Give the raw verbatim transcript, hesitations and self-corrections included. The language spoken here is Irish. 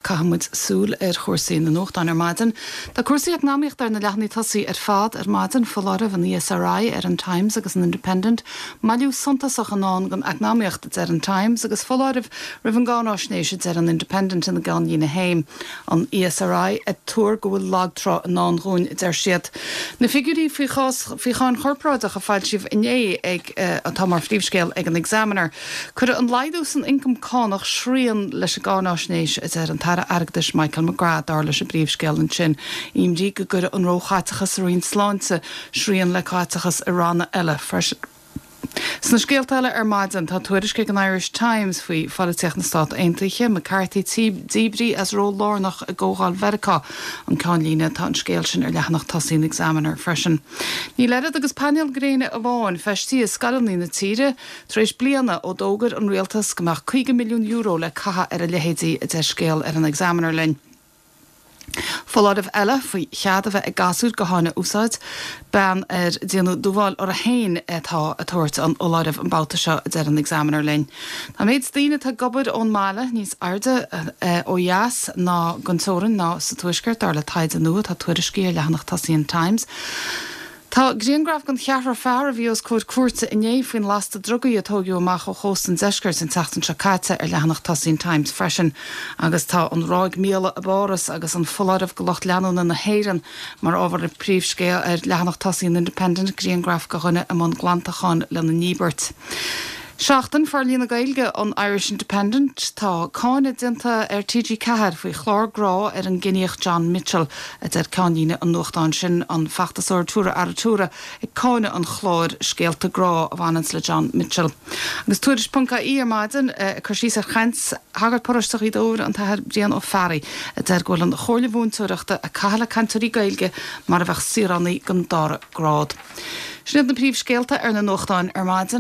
Caithfidh muid súil ar chúrsaí na nuachtán ar maidin. Tá cúrsaí eacnamaíochta ar na leathanaigh tosaigh ar fad ar maidin foláireamh an ESRI ar an Times agus an Independent, Moilliú suntasach i ndán don eacnamaíocht a deir an Times agus foláireamh roimh an gcáinaisnéis a deir an Independent ina gceannlíne féin. An ESRI ag tuar go bhfuil lagtrá i ndán dúinn a deir siad. Na figiúirí faoi chás faoi cháin chorparáideach a foilsíodh inné ag uh, atá mar phríomhscéal ag an Examiner. Cuirfidh an laghdú san ioncam cánach srian leis an gcáinaisnéis a deir an tAire Airgeadais Michael McGrath dar leis an bpríomhscéal ansin. Imní go gcuirfidh an róchaiteachas sa Roinn Sláinte srian le caiteachas i ranna eile freisin. Sna scéalta eile ar maidin tá tuairisc ag an Irish Times faoi pholaitíocht na Stát Aontaithe McCarthy díbrithe as ról lárnach i gcomhdháil Mheiriceá an ceannlíne tá an scéal sin ar leathanach tosaigh an Examiner freisin. Níl oiread agus painéal gréine amháin feistithe i scoileanna na tíre tar éis bliana ó d'fhógair an rialtas go mbeadh caoga milliún euro le caitheamh ar a leithéidí a deir scéal ar an Examiner linn. Foláireamh eile faoi chead a bheith ag gasúir gutháin a úsáid, bean ar déanadh dúmhál uirthi féin atá ag tabhairt an fholáirimh an babhta seo a deir an Examiner linn. Tá méid daoine atá ag obair ón mbaile níos airde ó dheas ná den teorainn ná sa tuaisceart dar le taighde nua tá tuairiscí ar leathanach tosaigh an Times. Tá grianghraf den cheathrar fear a bhí os comhair cúirte inné faoin lasta drugaí a tógadh amach ó chósta an deiscirt an tseachtain seo caite ar leathanach tosaigh an Times freisin, agus tá an ráig míola i bPáras agus an foláireamh do lucht leanúna na hÉireann mar ábhar príomhscéal ar leathanach tosaigh an Independent grianghraf de dhuine i mbun glantacháin lena ndíbirt. Seachtain Forlíonadh Gaeilge an Irish Independent tá cáineadh déanta ar TG Ceathair faoi chlár grá ar an gciníoch John Mitchell a deir ceannlíne an nuachtáin sin an feachtasóir Tura Aratura ag cáineadh an chláir scéalta grá a bhaineann le John Mitchell. Agus tuairisc ponc ie ar maidin cur síos ar chaint shagart paróiste Ghaoth Dobhair an tAthair Brian Ó Fearraigh a deir go bhfuil an Chomhairle Mhúinteoireachta ag caitheamh le cainteoirí Gaeilge mar a bheadh saoránaigh den dara grád. Sin na príomhscéalta ar na nuachtáin ar maidin.